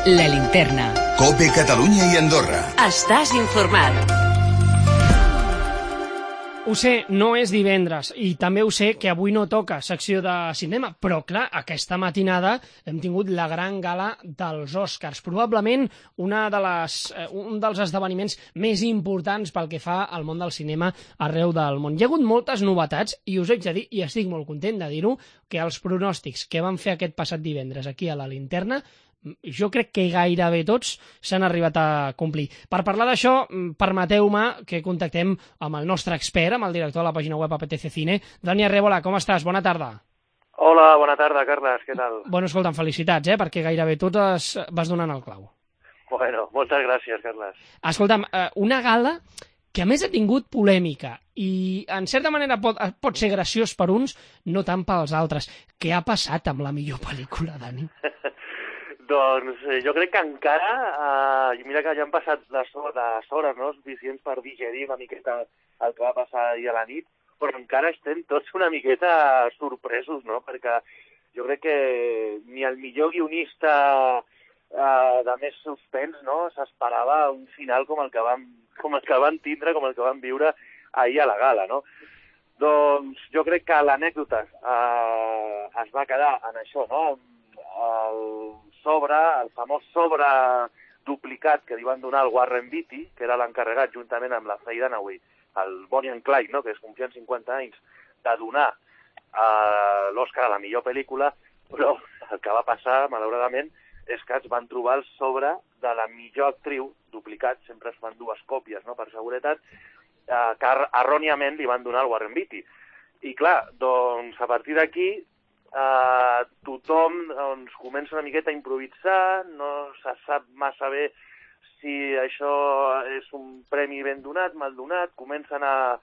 La Linterna. COPE Catalunya i Andorra. Estàs informat. Ho sé, no és divendres i també ho sé que avui no toca secció de cinema, però clar, aquesta matinada hem tingut la gran gala dels Oscars, probablement un dels esdeveniments més importants pel que fa al món del cinema arreu del món. Hi ha hagut moltes novetats i us haig de dir, i estic molt content de dir-ho, que els pronòstics que van fer aquest passat divendres aquí a la Linterna jo crec que gairebé tots s'han arribat a complir. Per parlar d'això, permeteu-me que contactem amb el nostre expert, amb el director de la pàgina web APTC Cine. Dani Arrébola, com estàs? Bona tarda. Hola, bona tarda, Carles, què tal? Bueno, escolta'm, felicitats, perquè gairebé totes vas donant el clau. Bueno, moltes gràcies, Carles. Escolta'm, una gala que a més ha tingut polèmica i en certa manera pot ser graciós per uns, no tant pels altres. Què ha passat amb la millor pel·lícula, Dani? Doncs jo crec que encara, mira que ja han passat les hores, no?, suficients per digerir una miqueta el que va passar ahir a la nit, però encara estem tots una miqueta sorpresos, no?, perquè jo crec que ni el millor guionista de més suspens, no?, s'esperava un final com el que van tindre, com el que van viure ahir a la gala, no? Doncs jo crec que l'anècdota es va quedar en això, no?, el famós sobre duplicat que li van donar al Warren Beatty, que era l'encarregat juntament amb la Faye Dunaway, el Bonnie and Clyde, no?, que es complien 50 anys, de donar l'Oscar a la millor pel·lícula, però el que va passar, malauradament, és que es van trobar el sobre de la millor actriu, duplicat, sempre es fan dues còpies, no?, per seguretat, que erròniament li van donar al Warren Beatty. I clar, doncs a partir d'aquí tothom comença una miqueta a improvisar, no se sap massa bé si això és un premi ben donat, mal donat, comencen a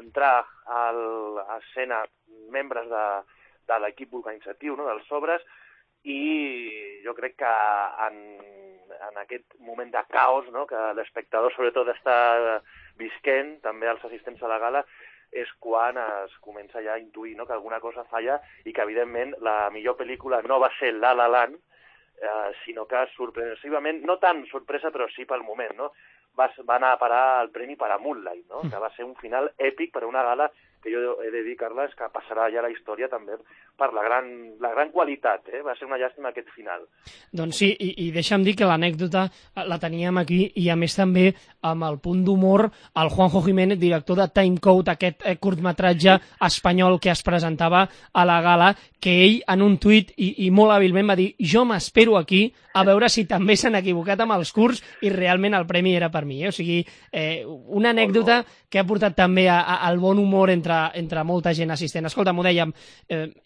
entrar a l'escena membres de l'equip organitzatiu, no?, dels sobres, i jo crec que en aquest moment de caos, no?, que l'espectador sobretot està visquent, també els assistents a la gala, és quan es comença ja a intuir, no?, que alguna cosa falla i que, evidentment, la millor pel·lícula no va ser La La Land, sinó que sorpresivament, no tan sorpresa, però sí pel moment, no?, va anar a parar el premi per a Moonlight, no?, que va ser un final èpic per a una gala que jo he de dir, Carles, que passarà ja a la història també per la gran qualitat, va ser una llàstima aquest final. Doncs sí, i deixa'm dir que l'anècdota la teníem aquí i a més també amb el punt d'humor el Juanjo Jiménez, director de Timecode, aquest curtmetratge espanyol que es presentava a la gala, que ell en un tuit i molt hàbilment va dir: jo m'espero aquí a veure si també s'han equivocat amb els curts i realment el premi era per mi. O sigui, una anècdota que ha portat també al bon humor entre molta gent assistent. Escolta, m'ho dèiem,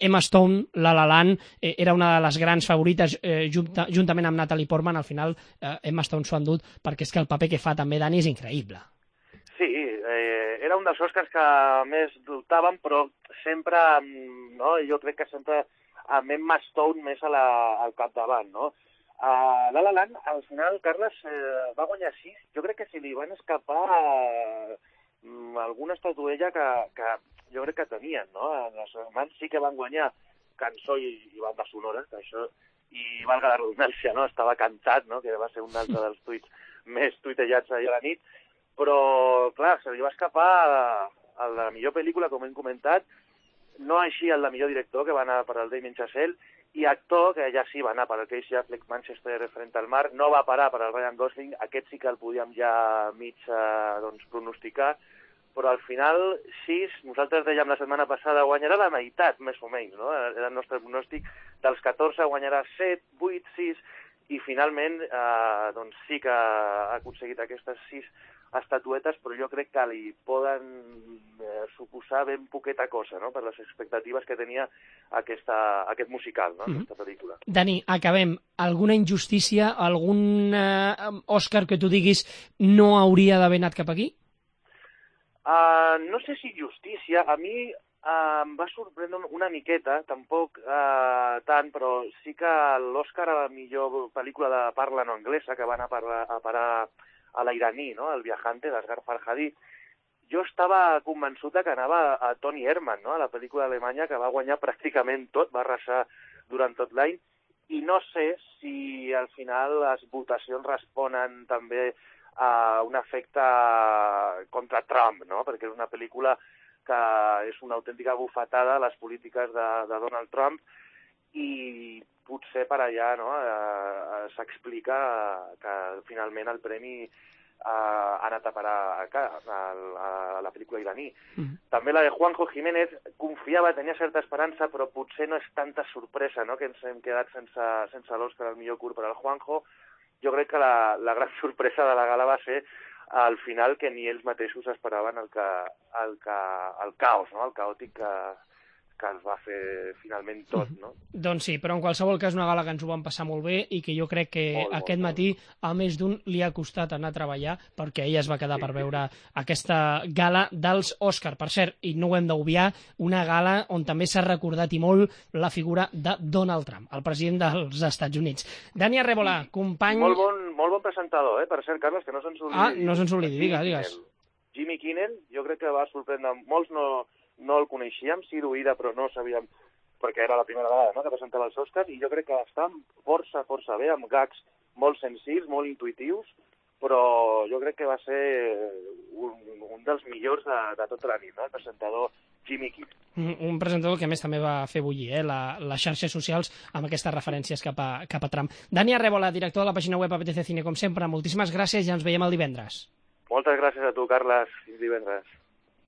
Emma Stone, La La Land, era una de les grans favorites juntament amb Natalie Portman. Al final Emma Stone s'ho ha endut perquè és que el paper que fa també, Dani, és increïble. Sí, era un dels Oscars que més dubtàvem, però sempre, no?, jo crec que sempre amb Emma Stone més al capdavant, no? La La Land, al final, Carles, va guanyar 6. Jo crec que si li van escapar alguna estatuella que jo crec que tenien, no? Els germans sí que van guanyar cançó i banda sonora, que això, i valga la redundància, no?, estava cantat, no?, que va ser un altre dels tuits més tuitejats ahir a la nit, però, clar, se li va escapar a la millor pel·lícula, com hem comentat, no així el de millor director, que va anar per al Damien Chazelle, i actor, que ja sí va anar per al Casey Affleck, Manchester frente al mar, no va parar per al Ryan Gosling, aquest sí que el podíem ja mig pronosticar, però al final 6, nosaltres dèiem la setmana passada, guanyarà la meitat, més o menys, no? Era el nostre pronòstic, dels 14 guanyarà 7, 8, 6, i finalment doncs sí que ha aconseguit aquestes 6 estatuetes, però jo crec que li poden suposar ben poqueta cosa, no?, per les expectatives que tenia aquest musical, no?, aquesta pel·lícula. Dani, acabem. Alguna injustícia, algun Òscar que tu diguis no hauria d'haver anat cap aquí? No sé si justícia. A mi em va sorprendre una miqueta, tampoc tant, però sí que l'Òscar a la millor pel·lícula de parla no anglesa, que va anar a parar a l'iraní, no?, El viajante, d'Asghar Farhadi, jo estava convençut que anava a Toni Erdmann, no?, a la pel·lícula alemanya, que va guanyar pràcticament tot, va arrasar durant tot l'any, i no sé si al final les votacions responen també a un efecte contra Trump, no? Perquè és una pel·lícula que és una autèntica bufetada a les polítiques de Donald Trump i potser per allà no, s'explica que finalment el premi ha anat a parar a la pel·lícula iraní. També la de Juanjo Jiménez confiava, tenia certa esperança, però potser no és tanta sorpresa, no?, que ens hem quedat sense l'Òscar al millor curt per al Juanjo. Jo crec que la gran sorpresa de la gala va ser al final que ni ells mateixos esperaven el caos, no?, el caòtic que es va fer finalment tot, no? Doncs sí, però en qualsevol cas una gala que ens ho vam passar molt bé i que jo crec que aquest matí a més d'un li ha costat anar a treballar perquè ella es va quedar per veure aquesta gala dels Òscar. Per cert, i no ho hem d'obviar, una gala on també s'ha recordat i molt la figura de Donald Trump, el president dels Estats Units. Dani Arrebola, company... Molt bon presentador, per cert, Carles, que no se'ns oblidi. No se'ns oblidi, digues. Jimmy Kimmel, jo crec que va sorprendre molts, no el coneixíem, sí d'oïda, però no sabíem, perquè era la primera vegada, no?, que presentava els Oscars, i jo crec que està força bé, amb gags molt senzills, molt intuitius, però jo crec que va ser un dels millors de tota la nit, no?, el presentador Jimmy Kimmel. Un presentador que a més també va fer bullir les xarxes socials amb aquestes referències cap a Trump. Dani Arrebola, director de la pàgina web APTC Cine, com sempre, moltíssimes gràcies i ens veiem el divendres. Moltes gràcies a tu, Carles. Fins divendres.